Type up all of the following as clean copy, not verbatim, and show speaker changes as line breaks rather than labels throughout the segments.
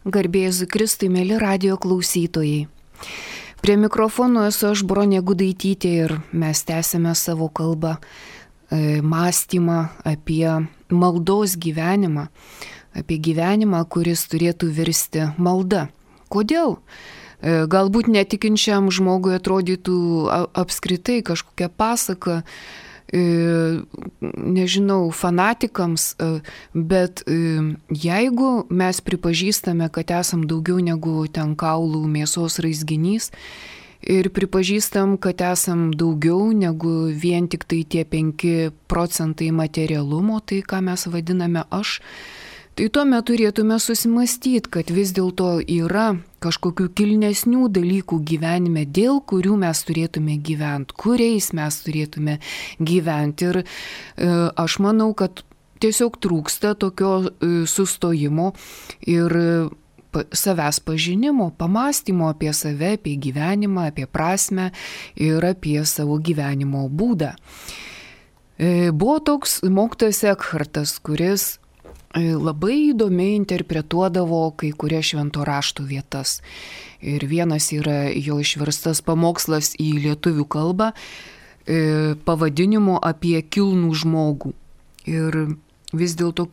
Garbė Jėzui Kristui, mėly radijo klausytojai. Prie mikrofono esu aš, Bronė Gudaitytė, ir mes tęsime savo kalbą, mąstymą apie maldos gyvenimą, apie gyvenimą, kuris turėtų virsti malda. Kodėl? Galbūt netikinčiam žmogui atrodytų apskritai kažkokia pasaka, nežinau, fanatikams, bet jeigu mes pripažįstame, kad esam daugiau negu ten kaulų mėsos raizginys ir pripažįstam, kad esam daugiau negu vien tik tai tie 5% materialumo, tai ką mes vadiname aš, tai tuomet turėtume susimastyti, kad vis dėlto yra kažkokių kilnesnių dalykų gyvenime, dėl kurių mes turėtume gyventi, kuriais mes turėtume gyventi. Ir aš manau, kad tiesiog trūksta tokio sustojimo ir savęs pažinimo, pamąstymo apie save, apie gyvenimą, apie prasmę ir apie savo gyvenimo būdą. Buvo toks mokytojas Ekhartas, kuris labai įdomiai interpretuodavo kai kurias švento rašto vietas. Ir vienas yra jo išverstas pamokslas į lietuvių kalbą pavadinimu apie kilnų žmogų. Ir vis dėlto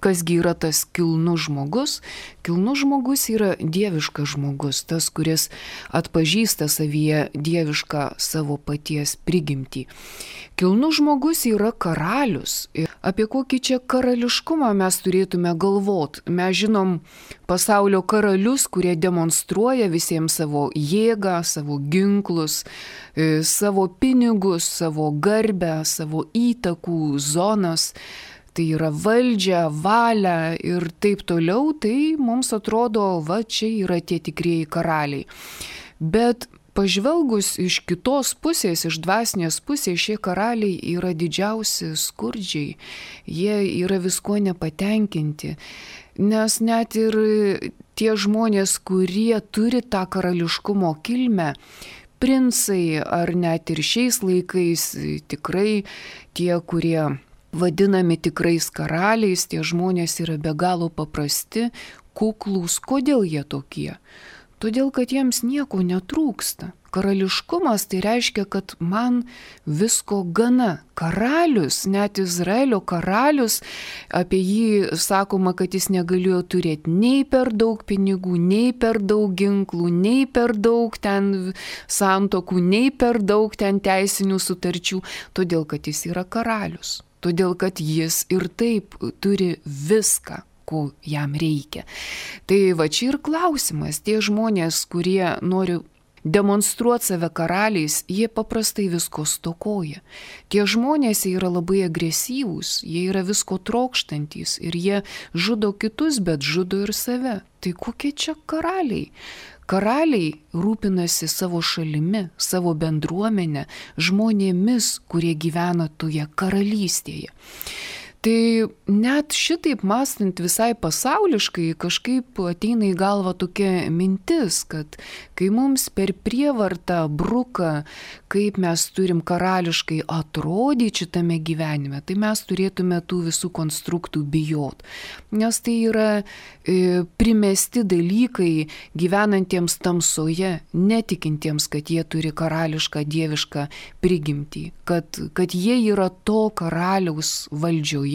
kasgi yra tas kilnus žmogus? Kilnus žmogus yra dieviškas žmogus, tas, kuris atpažįsta savyje dievišką savo paties prigimtį. Kilnus žmogus yra karalius. Apie kokį čia karališkumą mes turėtume galvoti? Mes žinom pasaulio karalius, kurie demonstruoja visiems savo jėgą, savo ginklus, savo pinigus, savo garbę, savo įtakų zonas. Tai yra valdžia, valia ir taip toliau, tai mums atrodo, va čia yra tie tikrieji karaliai. Bet pažvelgus iš kitos pusės, iš dvasinės pusės, šie karaliai yra didžiausi skurdžiai, jie yra viskuo nepatenkinti, nes net ir tie žmonės, kurie turi tą karališkumo kilmę, princai ar net ir šiais laikais tikrai tie, kurie vadinami tikrais karaliais, tie žmonės yra be galo paprasti, kuklūs. Kodėl jie tokie? Todėl, kad jiems nieko netrūksta. Karališkumas tai reiškia, kad man visko gana. Karalius, net Izraelio karalius, apie jį sakoma, kad jis negalėjo turėti nei per daug pinigų, nei per daug ginklų, nei per daug ten santokų, nei per daug ten teisinių sutarčių, todėl, kad jis yra karalius. Todėl, kad jis ir taip turi viską, ko jam reikia. Tai va čia ir klausimas. Tie žmonės, kurie nori demonstruoti save karaliais, jie paprastai visko stokoja. Tie žmonės yra labai agresyvūs, jie yra visko trokštantys ir jie žudo kitus, bet žudo ir save. Tai kokie čia karaliai? Karaliai rūpinasi savo šalimi, savo bendruomenę, žmonėmis, kurie gyvena toje karalystėje. Tai net šitaip mąstant visai pasauliškai kažkaip ateina į galvą tokia mintis, kad kai mums per prievartą bruka, kaip mes turim karališkai atrodyti šitame gyvenime, tai mes turėtume tų visų konstruktų bijot. Nes tai yra primesti dalykai gyvenantiems tamsoje, netikintiems, kad jie turi karališką dievišką prigimtį, kad jie yra to karaliaus valdžioje,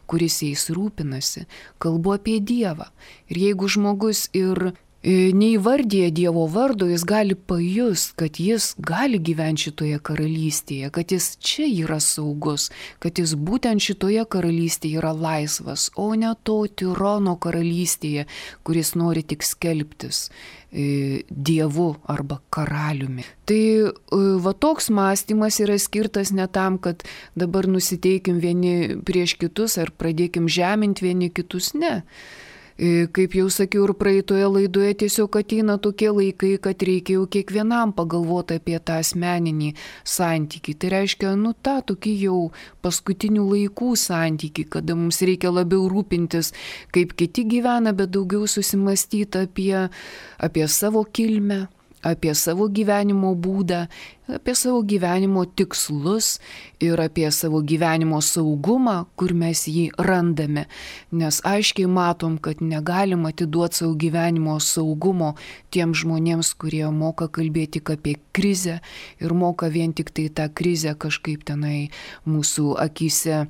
kuris jais rūpinasi. Kalbu apie Dievą. Ir jeigu žmogus ir neįvardyja Dievo vardo, jis gali pajust, kad jis gali gyventi šitoje karalystėje, kad jis čia yra saugus, kad jis būtent šitoje karalystėje yra laisvas, o ne to tirono karalystėje, kuris nori tik skelbtis Dievu arba karaliumi. Tai va toks mąstymas yra skirtas ne tam, kad dabar nusiteikim vieni prieš kitus ar pradėkim žeminti vieni kitus, ne. Kaip jau sakiau ir praeitoje laidoje, tiesiog ateina tokie laikai, kad reikia jau kiekvienam pagalvoti apie tą asmeninį santykį. Tai reiškia, tą tokį jau paskutinių laikų santykį, kada mums reikia labiau rūpintis, kaip kiti gyvena, bet daugiau susimastyti apie savo kilmę, apie savo gyvenimo būdą, apie savo gyvenimo tikslus ir apie savo gyvenimo saugumą, kur mes jį randame. Nes aiškiai matom, kad negalim atiduoti savo gyvenimo saugumo tiem žmonėms, kurie moka kalbėti tik apie krizę ir moka vien tik tai tą krizę kažkaip tenai mūsų akyse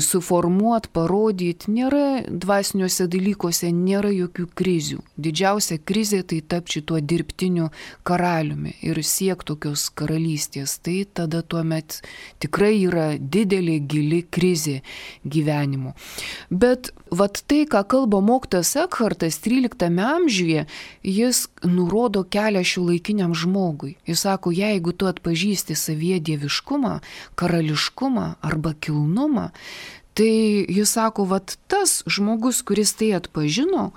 suformuoti, parodyti. Nėra dvasiniuose dalykuose, nėra jokių krizių. Didžiausia krizė tai tapti tuo dirbtiniu karaliumi ir siekti tokios karalystės. Tai tada tuomet tikrai yra didelė gili krizė gyvenimo. Bet vat tai, ką kalba mokytojas Ekhartas 13 amžiuje, jis nurodo kelią šiuolaikiniam žmogui. Jis sako, jeigu tu atpažįsti savyje dieviškumą, karališkumą arba kilnumą, tai jis sako, vat tas žmogus, kuris tai atpažino,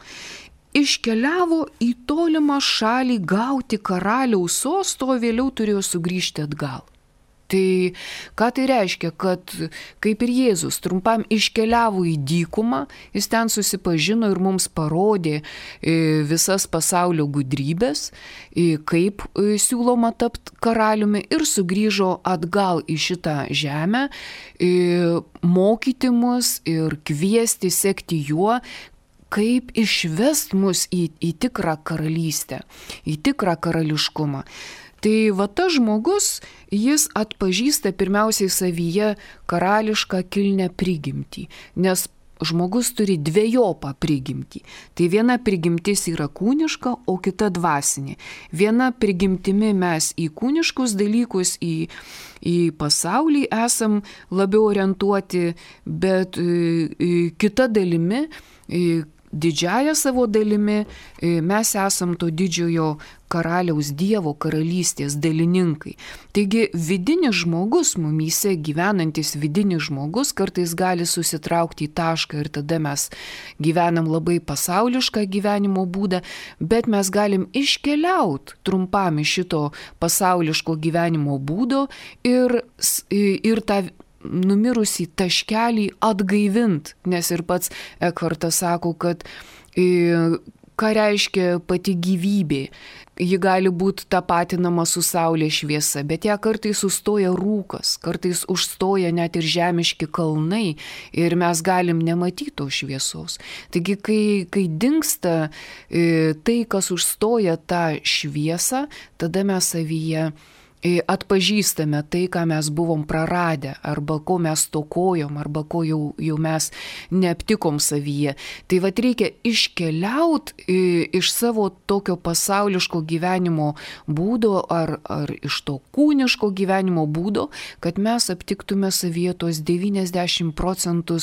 iškeliavo į tolimą šalį gauti karaliaus sosto, o vėliau turėjo sugrįžti atgal. Tai ką tai reiškia, kad kaip ir Jėzus trumpam iškeliavo į dykumą, jis ten susipažino ir mums parodė visas pasaulio gudrybės, kaip siūloma tapti karaliumi ir sugrįžo atgal į šitą žemę, mokyti mus ir kviesti sekti juo, kaip išvest mus į tikrą karalystę, į tikrą karališkumą. Tai va tas žmogus, jis atpažįsta pirmiausiai savyje karališką kilnę prigimtį, nes žmogus turi dvejopą prigimtį. Tai viena prigimtis yra kūniška, o kita dvasinė. Viena prigimtimi mes į kūniškus dalykus, į pasaulį esam labiau orientuoti, bet kita dalimi, didžiąją savo dalimi, mes esam to didžiojo karaliaus Dievo karalystės dalininkai. Taigi vidinis žmogus, mumyse gyvenantis vidinis žmogus, kartais gali susitraukti į tašką ir tada mes gyvenam labai pasaulišką gyvenimo būdą, bet mes galim iškeliauti trumpam iš šito pasauliško gyvenimo būdo ir tą numirusį taškelį atgaivint, nes ir pats Ekhartas sako, kad ką reiškia pati gyvybė. Ji gali būti tapatinama su saulės šviesa, bet ją kartais sustoja rūkas, kartais užstoja net ir žemiški kalnai ir mes galim nematyti tos šviesos. Taigi, kai dingsta tai, kas užstoja tą šviesą, tada mes savyje atpažįstame tai, ką mes buvom praradę, arba ko mes stokojom, arba ko jau mes neaptikom savyje. Tai vat reikia iškeliauti iš savo tokio pasauliško gyvenimo būdo ar iš to kūniško gyvenimo būdo, kad mes aptiktume savyje tos 90%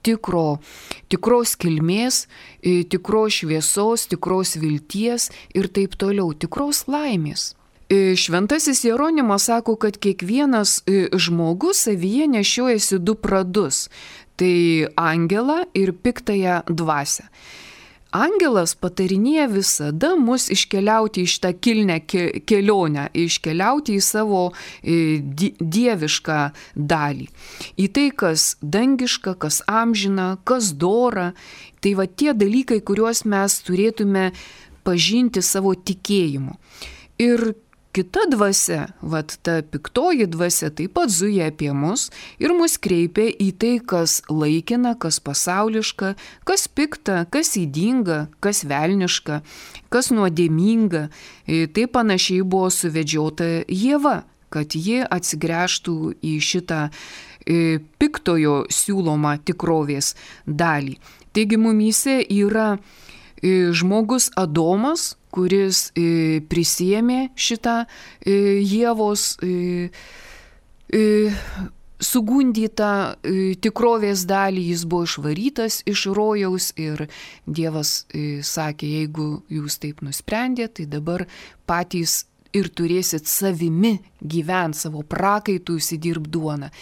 tikros kilmės, tikros šviesos, tikros vilties ir taip toliau, tikros laimės. Šventasis Jeronimas sako, kad kiekvienas žmogus savyje nešiojasi du pradus – tai angelą ir piktąją dvasią. Angelas patarinėja visada mus iškeliauti iš tą kilnę kelionę, iškeliauti į savo dievišką dalį. Į tai, kas dangiška, kas amžina, kas dora. Tai va tie dalykai, kuriuos mes turėtume pažinti savo tikėjimu. Ir kita dvasia, vat ta piktoji dvasia taip pat zuja apie mus ir mus kreipia į tai, kas laikina, kas pasauliška, kas pikta, kas ydinga, kas velniška, kas nuodėminga. Tai panašiai buvo suvedžiota Ieva, kad ji atsigręžtų į šitą piktojo siūlomą tikrovės dalį. Taigi mumyse yra žmogus Adomas, kuris prisiėmė šitą Ievos sugundytą tikrovės dalį, jis buvo išvarytas iš rojaus ir Dievas sakė, jeigu jūs taip nusprendėte, tai dabar patys ir turėsit savimi gyventi, savo prakaitų įsidirbt duoną.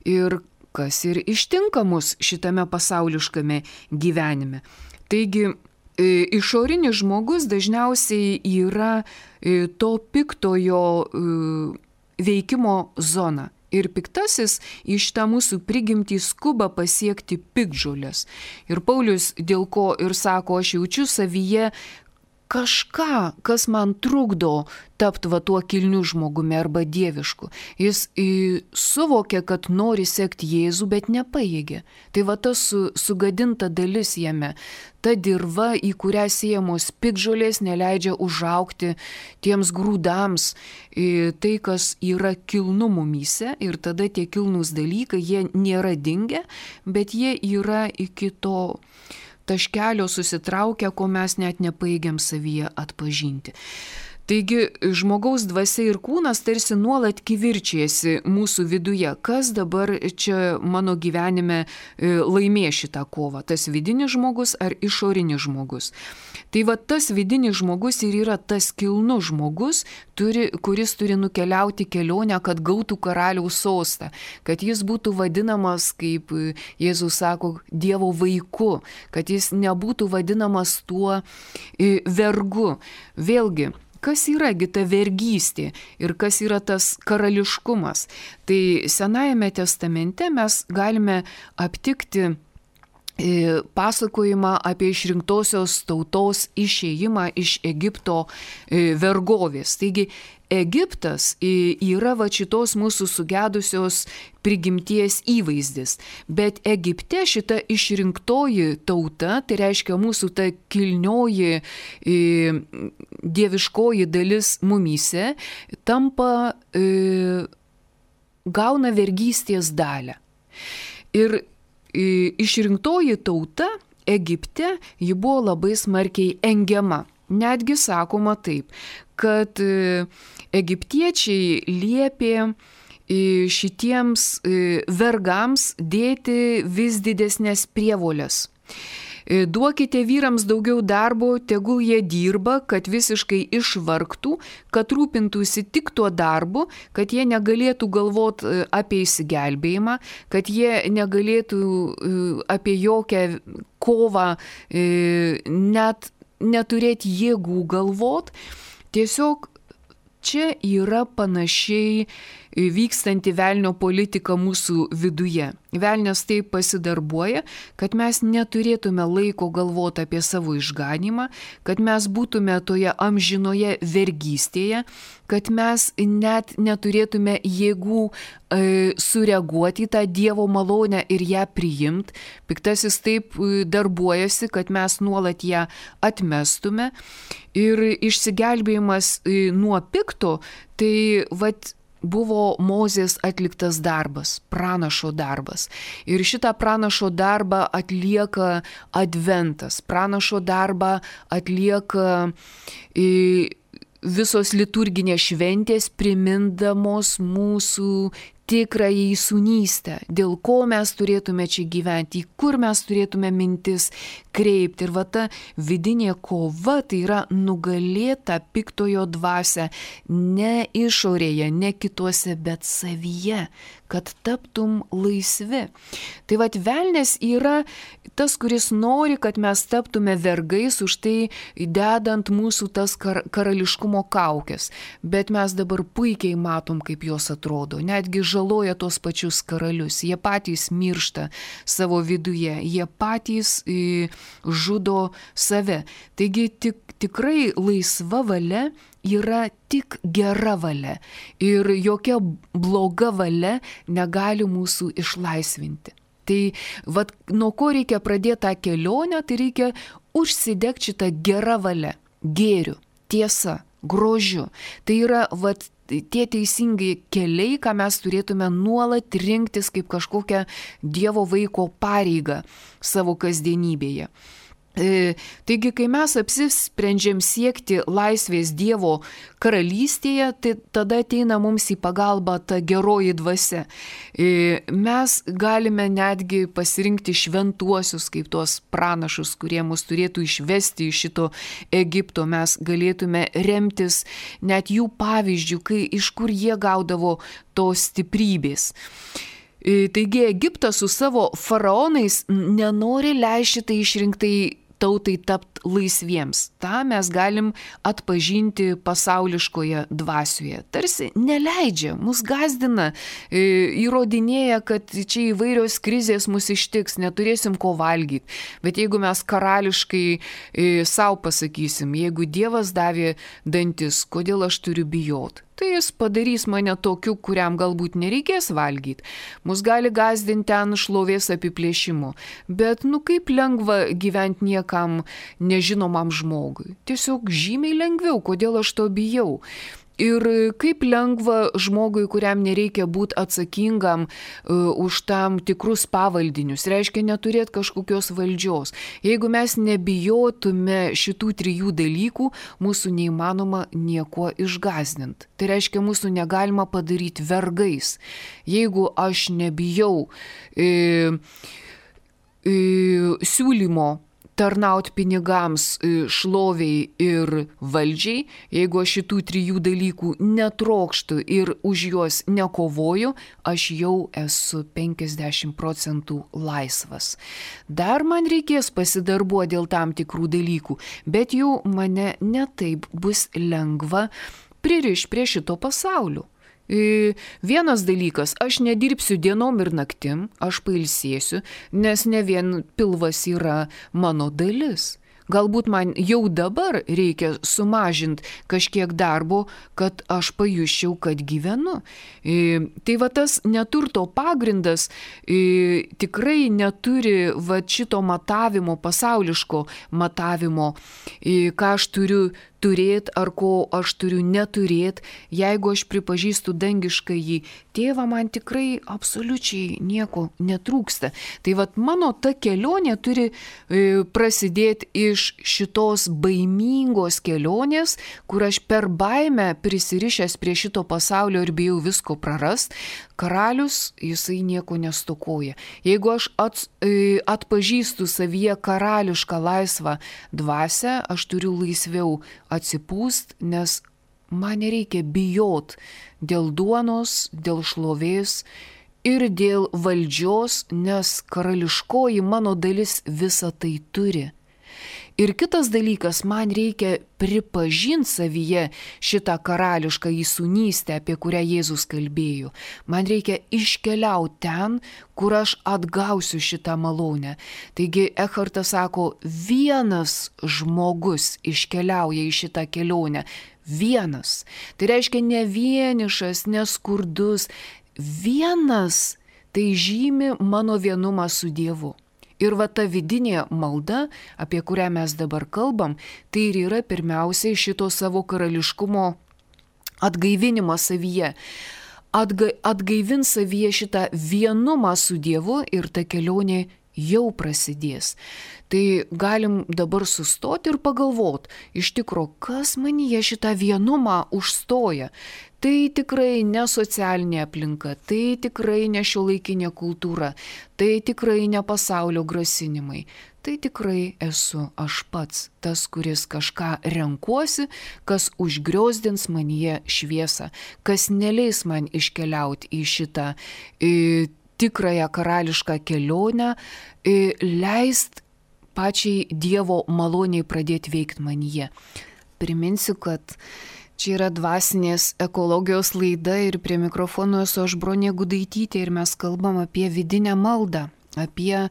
Ir kas ir ištinka mus šitame pasauliškame gyvenime. Taigi, išorinis žmogus dažniausiai yra to piktojo veikimo zona. Ir piktasis iš tą mūsų prigimtį skuba pasiekti piktžolės. Ir Paulius dėl ko ir sako, aš jaučiu savyje kažką, kas man trukdo tapti va tuo kilniu žmogumi arba dievišku. Jis suvokia, kad nori sekti Jėzų, bet nepajėgia. Tai va tas sugadinta dalis jame, ta dirva, į kurią siejamos piktžolės, neleidžia užaugti tiems grūdams, tai, kas yra kilnu mumyse, ir tada tie kilnūs dalykai, jie nėra dingę, bet jie yra iki to taškelio susitraukę, ko mes net nepajėgiam savyje atpažinti. Taigi žmogaus dvasia ir kūnas tarsi nuolat kivirčiasi mūsų viduje, kas dabar čia mano gyvenime laimės šitą kovą, tas vidinis žmogus ar išorinis žmogus. Tai va tas vidinis žmogus ir yra tas kilnus žmogus, kuris turi nukeliauti kelionę, kad gautų karaliaus sostą, kad jis būtų vadinamas, kaip Jėzus sako, Dievo vaiku, kad jis nebūtų vadinamas tuo vergu. Vėlgi, kas yragi ta vergystė ir kas yra tas karališkumas? Tai Senajame testamente mes galime aptikti pasakojimą apie išrinktosios tautos išėjimą iš Egipto vergovės. Taigi Egiptas yra va šitos mūsų sugedusios prigimties įvaizdis, bet Egipte šita išrinktoji tauta, tai reiškia mūsų ta kilnioji dieviškoji dalis mumyse, tampa, gauna vergystės dalę. Ir išrinktoji tauta Egipte, ji buvo labai smarkiai engiama. Netgi sakoma taip, kad egiptiečiai liepė šitiems vergams dėti vis didesnės prievolės. Duokite vyrams daugiau darbo, tegul jie dirba, kad visiškai išvargtų, kad rūpintųsi tik tuo darbu, kad jie negalėtų galvoti apie išsigelbėjimą, kad jie negalėtų apie jokią kovą net neturėti jėgų galvot. Tiesiog čia yra panašiai vykstanti velnio politika mūsų viduje. Velnias taip pasidarbuoja, kad mes neturėtume laiko galvoti apie savo išganymą, kad mes būtume toje amžinoje vergystėje, kad mes net neturėtume jėgų sureaguoti į tą Dievo malonę ir ją priimti. Piktasis taip darbuojasi, kad mes nuolat ją atmestume. Ir išsigelbėjimas nuo pikto, tai buvo Mozės atliktas darbas, pranašo darbas. Ir šitą pranašo darbą atlieka Adventas. Pranašo darbą atlieka visos liturginės šventės, primindamos mūsų tikrąją įsūnystę, dėl ko mes turėtume čia gyventi, kur mes turėtume mintis kreipti. Ir va ta vidinė kova, tai yra nugalėta piktojo dvasia ne išorėje, ne kituose, bet savyje, kad taptum laisvi. Tai va velnias yra tas, kuris nori, kad mes taptume vergais, už tai dedant mūsų tas karališkumo kaukės. Bet mes dabar puikiai matom, kaip jos atrodo. Netgi žaloja tos pačius karalius. Jie patys miršta savo viduje. Jie patys žudo save. Taigi tikrai laisva valia yra tik gera valia. Ir jokia bloga valia negali mūsų išlaisvinti. Tai nuo ko reikia pradėti tą kelionę, tai reikia užsidegti šitą gerą valią, gėriu, tiesa, grožiu. Tai yra tie teisingai keliai, ką mes turėtume nuolat rinktis kaip kažkokią Dievo vaiko pareigą savo kasdienybėje. Taigi, kai mes apsisprendžiam siekti laisvės Dievo karalystėje, tai tada ateina mums į pagalbą ta geroji dvasia. Mes galime netgi pasirinkti šventuosius kaip tuos pranašus, kurie mus turėtų išvesti iš šito Egipto. Mes galėtume remtis net jų pavyzdžių, iš kur jie gaudavo tos stiprybės. Taigi Egiptas su savo faraonais nenori leisti tai išrinktai tautai tapti laisviems. Ta mes galim atpažinti pasauliškoje dvasioje. Tarsi neleidžia, mus gazdina, įrodinėja, kad čia įvairios krizės mus ištiks, neturėsim ko valgyti. Bet jeigu mes karališkai savo pasakysim, jeigu Dievas davė dantis, kodėl aš turiu bijoti? Tai jis padarys mane tokiu, kuriam galbūt nereikės valgyti. Mus gali gazdinti ten šlovės apiplėšimu. Bet kaip lengva gyventi niekam nežinomam žmogui. Tiesiog žymiai lengviau, kodėl aš to bijau. Ir kaip lengva žmogui, kuriam nereikia būti atsakingam už tam tikrus pavaldinius, reiškia neturėti kažkokios valdžios. Jeigu mes nebijotume šitų 3 dalykų, mūsų neįmanoma nieko išgąsdinti. Tai reiškia, mūsų negalima padaryti vergais. Jeigu aš nebijau siūlymo tarnauti pinigams, šloviai ir valdžiai, jeigu aš šitų 3 dalykų netrokštu ir už juos nekovoju, aš jau esu 50% laisvas. Dar man reikės pasidarbuoti dėl tam tikrų dalykų, bet jau mane netaip bus lengva pririšti prie šito pasaulio. Vienas dalykas, aš nedirbsiu dienom ir naktim, aš pailsėsiu, nes ne vien pilvas yra mano dalis. Galbūt man jau dabar reikia sumažinti kažkiek darbo, kad aš pajusčiau, kad gyvenu. Tai va tas neturto pagrindas tikrai neturi va šito matavimo, pasauliško matavimo, ką aš turiu turėti ar ko aš turiu neturėti. Jeigu aš pripažįstu dangiškąjį tėvą, man tikrai absoliučiai nieko netrūksta. Tai vat mano ta kelionė turi prasidėti iš šitos baimingos kelionės, kur aš per baimę prisirišęs prie šito pasaulio ir bijau visko prarast. Karalius, jisai nieko nestokoja. Jeigu aš atpažįstu savyje karališką laisvą dvasią, aš turiu laisviau atsipūst, nes man nereikia bijot dėl duonos, dėl šlovės ir dėl valdžios, nes karališkoji mano dalis visą tai turi. Ir kitas dalykas, man reikia pripažinti savyje šitą karališką įsūnystę, apie kurią Jėzus kalbėjo. Man reikia iškeliauti ten, kur aš atgausiu šitą malonę. Taigi Ekhartas sako, vienas žmogus iškeliauja į šitą kelionę. Vienas. Tai reiškia ne vienišas, ne skurdus. Vienas. Tai žymi mano vienumą su Dievu. Ir va ta vidinė malda, apie kurią mes dabar kalbam, tai ir yra pirmiausiai šito savo karališkumo atgaivinimą savyje. Atgaivint savyje šitą vienumą su Dievu ir ta kelionė jau prasidės. Tai galim dabar sustoti ir pagalvoti, iš tikro, kas manyje šitą vienumą užstoja. Tai tikrai ne socialinė aplinka, tai tikrai ne šiuolaikinė kultūra, tai tikrai ne pasaulio grasinimai. Tai tikrai esu aš pats, tas, kuris kažką renkuosi, kas užgriozdins manyje šviesą, kas neleis man iškeliauti į šitą tikrąją karališką kelionę, leist pačiai Dievo maloniai pradėti veikti manyje. Priminsiu, kad čia yra dvasinės ekologijos laida ir prie mikrofono esu aš Bronė Gudaitytė ir mes kalbam apie vidinę maldą, apie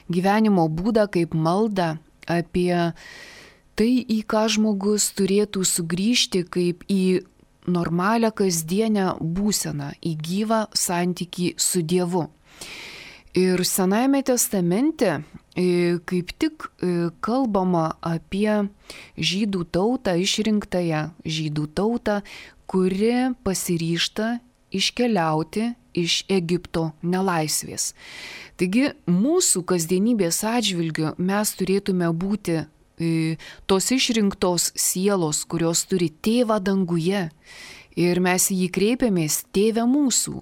gyvenimo būdą kaip maldą, apie tai, į ką žmogus turėtų sugrįžti kaip į normalią kasdienę būseną, į gyvą santykį su Dievu. Ir Senajame testamente kaip tik kalbama apie žydų tautą, išrinktąją žydų tautą, kuri pasiryžta iškeliauti iš Egipto nelaisvės. Taigi mūsų kasdienybės atžvilgiu mes turėtume būti tos išrinktos sielos, kurios turi tėvą danguje. Ir mes į jį kreipiamės, tėve mūsų.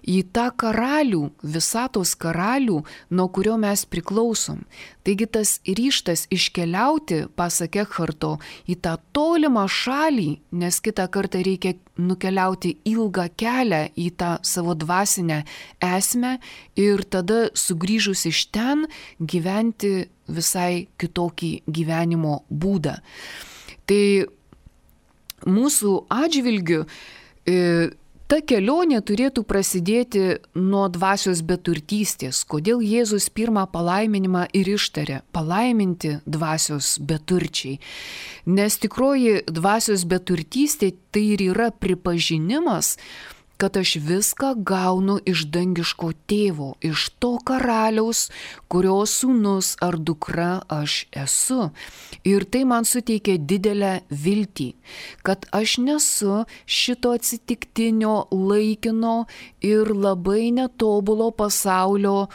į tą karalių, visatos karalių, nuo kurio mes priklausom. Taigi tas ryžtas iškeliauti, pasak Ekharto, į tą tolimą šalį, nes kitą kartą reikia nukeliauti ilgą kelią į tą savo dvasinę esmę ir tada sugrįžus iš ten gyventi visai kitokį gyvenimo būdą. Tai mūsų atžvilgiu ta kelionė turėtų prasidėti nuo dvasios beturtystės. Kodėl Jėzus pirmą palaiminimą ir ištarė – palaiminti dvasios beturčiai. Nes tikroji dvasios beturtystė tai ir yra pripažinimas, kad aš viską gaunu iš dangiško tėvo, iš to karaliaus, kurio sūnus ar dukra aš esu. Ir tai man suteikia didelę viltį, kad aš nesu šito atsitiktinio, laikino ir labai netobulo pasaulio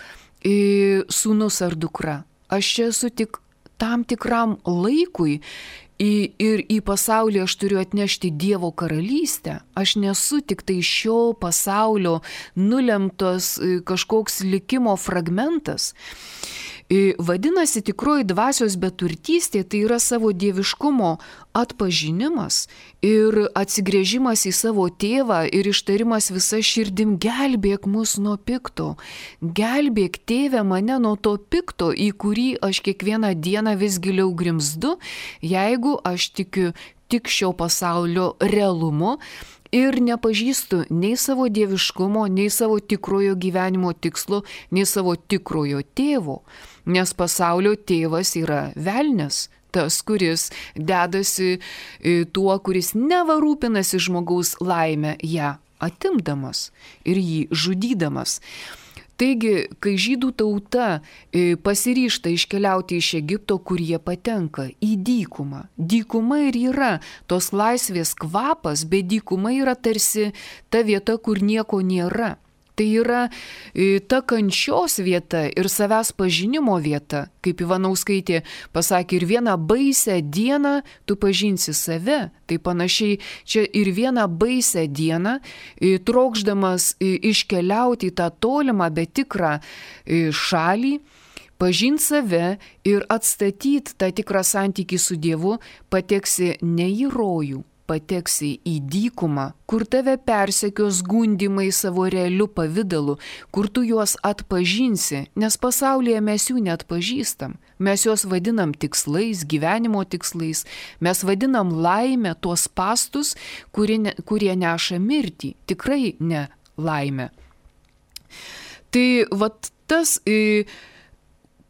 sūnus ar dukra. Aš čia esu tik tam tikram laikui. Ir į pasaulį aš turiu atnešti Dievo karalystę. Aš nesu tik tai šio pasaulio nulemtos kažkoks likimo fragmentas. Vadinasi, tikroji dvasios beturtystė tai yra savo dieviškumo atpažinimas ir atsigręžimas į savo tėvą ir ištarimas visa širdim: gelbėk mus nuo pikto, gelbėk tėve mane nuo to pikto, į kurį aš kiekvieną dieną vis giliau grimzdu, jeigu aš tikiu tik šio pasaulio realumu ir nepažįstu nei savo dieviškumo, nei savo tikrojo gyvenimo tikslo, nei savo tikrojo tėvo. Nes pasaulio tėvas yra velnias, tas, kuris dedasi tuo, kuris neva rūpinasi žmogaus laimę ją atimdamas ir jį žudydamas. Taigi, kai žydų tauta pasiryžta iškeliauti iš Egipto, kur jie patenka, į dykumą. Dykuma ir yra tos laisvės kvapas, bet dykuma yra tarsi ta vieta, kur nieko nėra. Tai yra ta kančios vieta ir savęs pažinimo vieta, kaip Ivanauskaitė pasakė, ir vieną baisę dieną tu pažinsi save. Tai panašiai čia ir vieną baisę dieną, trokšdamas iškeliauti į tą tolimą, bet tikrą šalį, pažinti save ir atstatyti tą tikrą santykį su Dievu, pateksi ne į rojų, pateksi į dykumą, kur tave persekios gundymai savo realiu pavidalu, kur tu juos atpažinsi, nes pasaulyje mes jų neatpažįstam. Mes juos vadinam tikslais, gyvenimo tikslais, mes vadinam laimę, tuos spąstus, kurie neša mirtį, tikrai ne laimę. Tai vat tas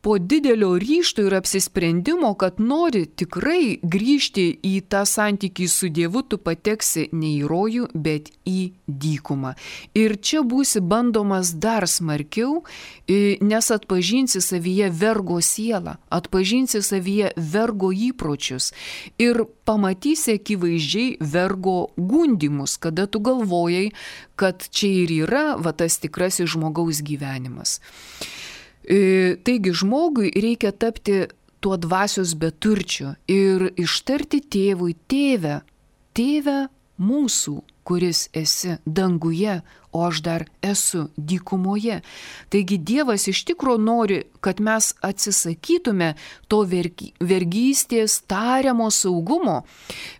po didelio ryžto ir apsisprendimo, kad nori tikrai grįžti į tą santykį su Dievu, tu pateksi ne į rojų, bet į dykumą. Ir čia būsi bandomas dar smarkiau, nes atpažinsi savyje vergo sielą, atpažinsi savyje vergo įpročius ir pamatysi akivaizdžiai vergo gundymus, kada tu galvojai, kad čia ir yra tas tikrasis žmogaus gyvenimas. Taigi žmogui reikia tapti tuo dvasios beturčiu ir ištarti tėvui: tėve, tėve mūsų, kuris esi danguje, o aš dar esu dykumoje. Taigi Dievas iš tikro nori, kad mes atsisakytume to vergystės tariamo saugumo,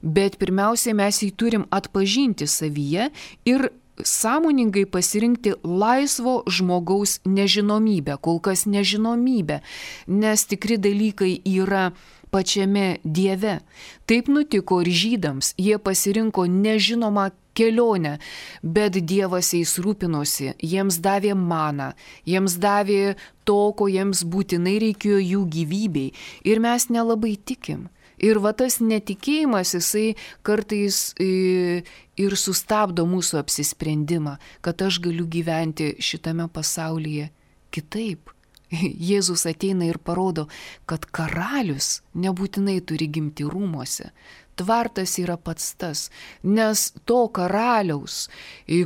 bet pirmiausiai mes jį turim atpažinti savyje ir sąmoningai pasirinkti laisvo žmogaus nežinomybę, kol kas nežinomybę, nes tikri dalykai yra pačiame Dieve. Taip nutiko ir žydams, jie pasirinko nežinomą kelionę, bet Dievas jais rūpinosi, jiems davė maną, jiems davė to, ko jiems būtinai reikėjo jų gyvybei, ir mes nelabai tikim. Ir tas netikėjimas, jisai kartais ir sustabdo mūsų apsisprendimą, kad aš galiu gyventi šitame pasaulyje kitaip. Jėzus ateina ir parodo, kad karalius nebūtinai turi gimti rūmuose. Tvartas yra pats tas, nes to karaliaus,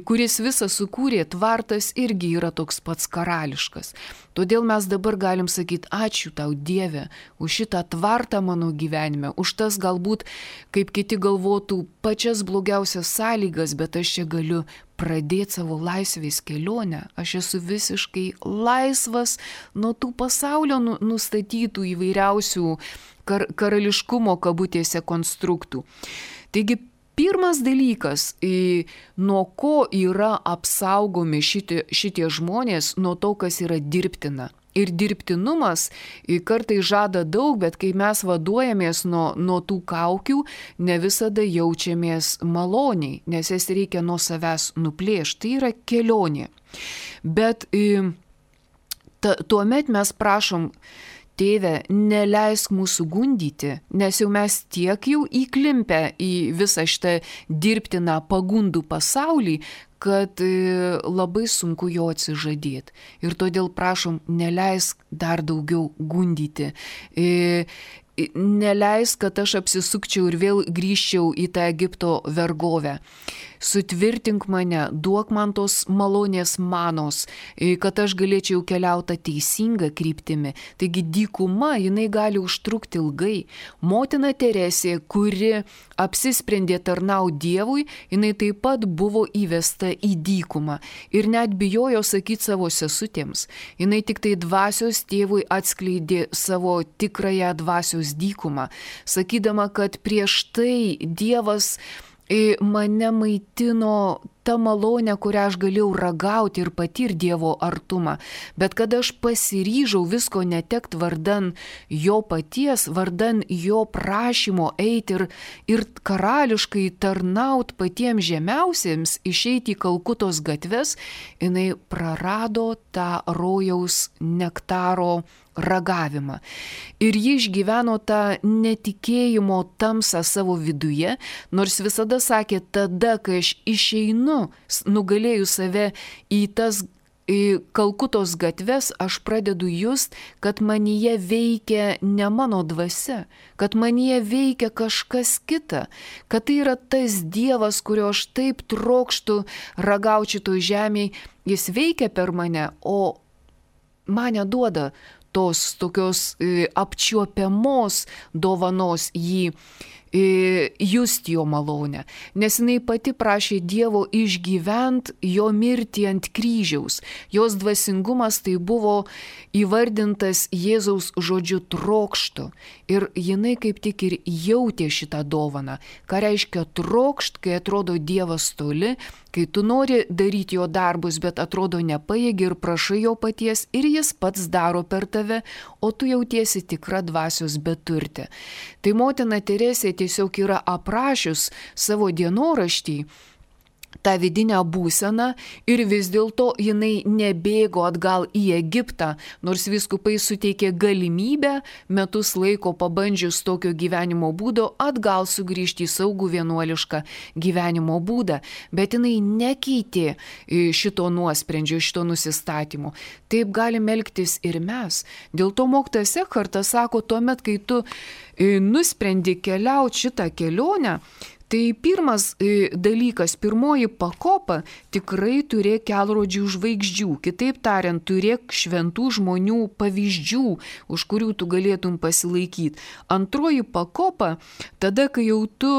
kuris visą sukūrė, tvartas irgi yra toks pats karališkas. Todėl mes dabar galim sakyti: ačiū tau, Dieve, už šitą tvartą mano gyvenime, už tas galbūt, kaip kiti galvotų, pačias blogiausias sąlygas, bet aš čia galiu pradėti savo laisvės kelionę. Aš esu visiškai laisvas nuo tų pasaulio nustatytų įvairiausių karališkumo kabutėse konstruktų. Taigi, pirmas dalykas, nuo ko yra apsaugomi šitie žmonės, nuo to, kas yra dirbtina. Ir dirbtinumas kartais žada daug, bet kai mes vaduojamės nuo tų kaukių, ne visada jaučiamės maloniai, nes jas reikia nuo savęs nuplėšti. Tai yra kelionė. Bet tuomet mes prašom, Tėve, neleisk mūsų gundyti, nes jau mes tiek jau įklimpę į visą šitą dirbtiną pagundų pasaulį, kad labai sunku jo atsižadėti. Ir todėl prašom, neleisk dar daugiau gundyti. Neleisk, kad aš apsisukčiau ir vėl grįžčiau į tą Egipto vergovę. Sutvirtink mane, duok man tos malonės manos, kad aš galėčiau keliauti teisingą kryptimi. Taigi dykuma, jinai gali užtrukti ilgai. Motina Teresė, kuri apsisprendė tarnauti Dievui, jinai taip pat buvo įvesta į dykumą. Ir net bijojo sakyti savo sesutėms. Jinai tik tai dvasios tėvui atskleidė savo tikrąją dvasios dykumą, sakydama, kad prieš tai Dievas mane maitino tą malonę, kurią aš galėjau ragauti ir patirti Dievo artumą. Bet kada aš pasiryžau visko netekt vardan jo paties, vardan jo prašymo eiti ir karališkai tarnaut patiems žemiausiems, išeiti į Kalkutos gatves, jinai prarado tą rojaus nektaro ragavimą. Ir ji išgyveno tą netikėjimo tamsą savo viduje, nors visada sakė, tada, kai aš išeinu, nugalėjau save į tas Kalkutos gatves, aš pradedu just, kad manyje veikia ne mano dvasia, kad manyje veikia kažkas kita, kad tai yra tas Dievas, kurio aš taip trokštu ragauti šitoj žemėje, jis veikia per mane, o mane duoda tos tokios apčiuopiamos dovanos jį just jo malonę, nes jinai pati prašė Dievo išgyvent jo mirtį ant kryžiaus. Jos dvasingumas tai buvo įvardintas Jėzaus žodžiu trokštu ir jinai kaip tik ir jautė šitą dovaną. Ką reiškia trokšt, kai atrodo Dievas toli, kai tu nori daryti jo darbus, bet atrodo nepajėgi ir prašai jo paties ir jis pats daro per tave, o tu jautiesi tikra dvasios beturtė. Tai motina Teresė tiesiog yra aprašius savo dienoraštį tą vidinę būseną ir vis dėlto jinai nebėgo atgal į Egiptą, nors vyskupai suteikė galimybę metus laiko pabandžius tokio gyvenimo būdo atgal sugrįžti į saugų vienuolišką gyvenimo būdą, bet jinai nekeitė šito nuosprendžio, šito nusistatymo. Taip galim elgtis ir mes. Dėl to mokytojas Ekhartas sako, tuomet, kai tu nusprendi keliauti šitą kelionę, tai pirmas dalykas, pirmoji pakopa, tikrai turėk kelrodžių žvaigždžių. Kitaip tariant, turėk šventų žmonių pavyzdžių, už kurių tu galėtum pasilaikyti. Antroji pakopa, tada, kai jau tu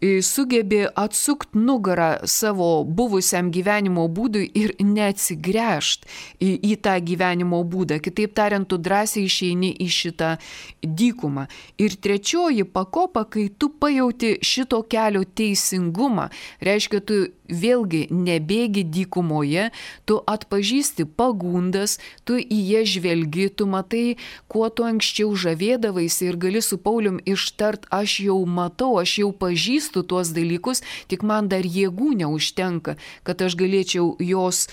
sugebi atsukti nugarą savo buvusiam gyvenimo būdui ir neatsigręžt į tą gyvenimo būdą. Kitaip tariant, tu drąsiai išeini į šitą dykumą. Ir trečioji pakopa, kai tu pajauti šito kelio teisingumą, reiškia, tu vėlgi nebėgi dykumoje, tu atpažįsti pagundas, tu į jas žvelgi, tu matai, kuo tu anksčiau žavėdavaisi ir gali su Paulium ištart, aš jau matau, aš jau pažįstu tuos dalykus, tik man dar jėgų neužtenka, kad aš galėčiau juos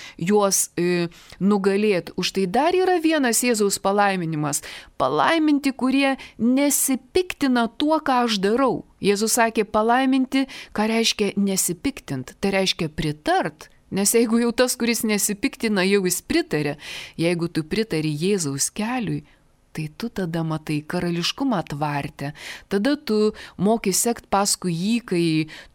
nugalėti. Už tai dar yra vienas Jėzaus palaiminimas. Palaiminti, kurie nesipiktina tuo, ką aš darau. Jėzus sakė palaiminti, ką reiškia nesipiktint, tai reiškia pritart, nes jeigu jau tas, kuris nesipiktina, jau jis pritarė, jeigu tu pritari Jėzaus keliui, tai tu tada matai karališkumą tvarte, tada tu moki sekt paskui jį, kai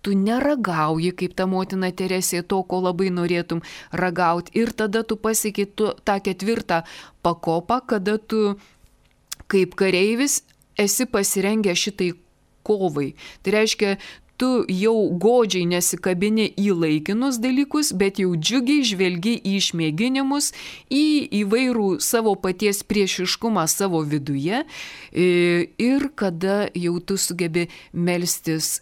tu neragauji, kaip ta motina Teresė, to, ko labai norėtum ragauti, ir tada tu pasieki tą ketvirtą pakopą, kada tu kaip kareivis esi pasirengę šitai kovai. Tai reiškia, tu jau godžiai nesikabini į laikinus dalykus, bet jau džiugiai žvelgi į išmėginimus, į įvairų savo paties priešiškumą savo viduje ir kada jau tu sugebi melstis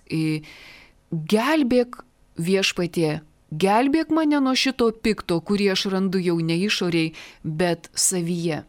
gelbėk Viešpatie, gelbėk mane nuo šito pikto, kurį aš randu jau ne išoriai, bet savyje.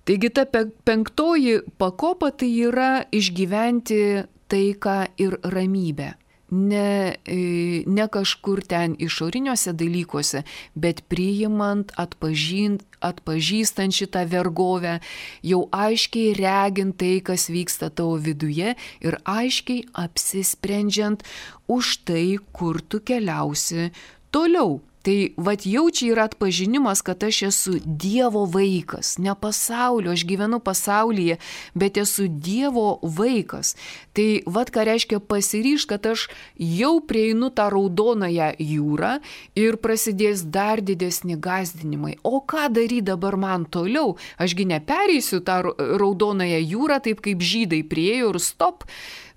Taigi ta penktoji pakopa tai yra išgyventi taiką ir ramybę. Ne kažkur ten išoriniuose dalykuose, bet priimant, atpažįstant šitą vergovę, jau aiškiai regint tai, kas vyksta tavo viduje ir aiškiai apsisprendžiant už tai, kur tu keliausi toliau. Tai vat jau čia yra atpažinimas, kad aš esu Dievo vaikas, ne pasaulio, aš gyvenu pasaulyje, bet esu Dievo vaikas. Tai vat ką reiškia pasiryžt, kad aš jau prieinu tą raudonąją jūrą ir prasidės dar didesni gąsdinimai. O ką daryti dabar man toliau? Ašgi nepereisiu tą raudonąją jūrą taip kaip žydai priėjo ir stop,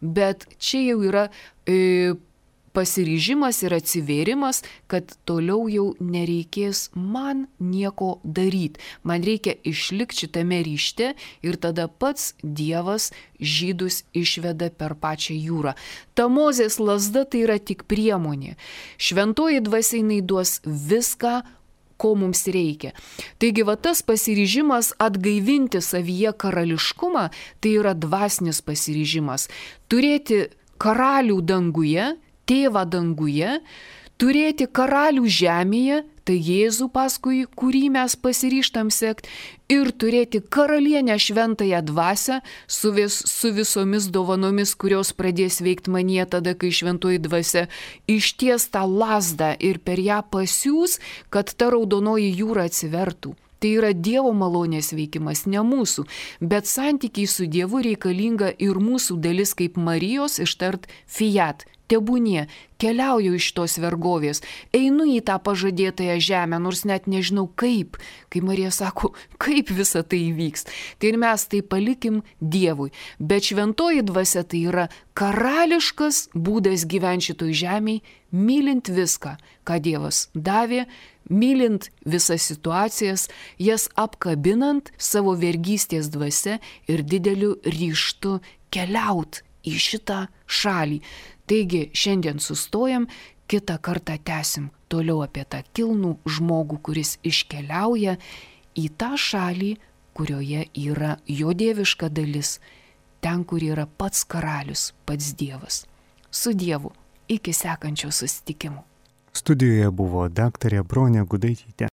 bet čia jau yra pasiryžimas ir atsivėrimas, kad toliau jau nereikės man nieko daryti. Man reikia išlikti šitame ryšte ir tada pats Dievas žydus išveda per pačią jūrą. Ta Mozės lazda tai yra tik priemonė. Šventoji dvasia jinai duos viską, ko mums reikia. Taigi va tas pasiryžimas atgaivinti savyje karališkumą, tai yra dvasinis pasiryžimas. Turėti karalių danguje, tėvą danguje, turėti karalių žemėje, tai Jėzų paskui, kurį mes pasiryžtam sekti, ir turėti karalienę šventąją dvasią su visomis dovanomis, kurios pradės veikti manyje tada, kai šventoji dvasia išties tą lazdą ir per ją pasiūs, kad ta raudonoji jūra atsivertų. Tai yra Dievo malonės veikimas, ne mūsų, bet santykiai su Dievu reikalinga ir mūsų dalis kaip Marijos ištart fiat. Tebūnie, keliauju iš tos vergovės, einu į tą pažadėtąją žemę, nors net nežinau kaip. Kai Marija sako, kaip visa tai įvyks. Tai ir mes tai palikim Dievui. Bet šventoji dvasia tai yra karališkas būdas gyventi šitoj žemėj, mylint viską, ką Dievas davė, mylint visas situacijas, jas apkabinant savo vergystės dvasia ir dideliu ryžtu keliaut į šitą šalį. Taigi šiandien sustojam, kitą kartą tęsim toliau apie tą kilnų žmogų, kuris iškeliauja į tą šalį, kurioje yra jo dieviška dalis, ten, kur yra pats karalius, pats Dievas. Su Dievu, iki sekančio susitikimo.
Studijoje buvo daktarė Bronė Gudaitytė.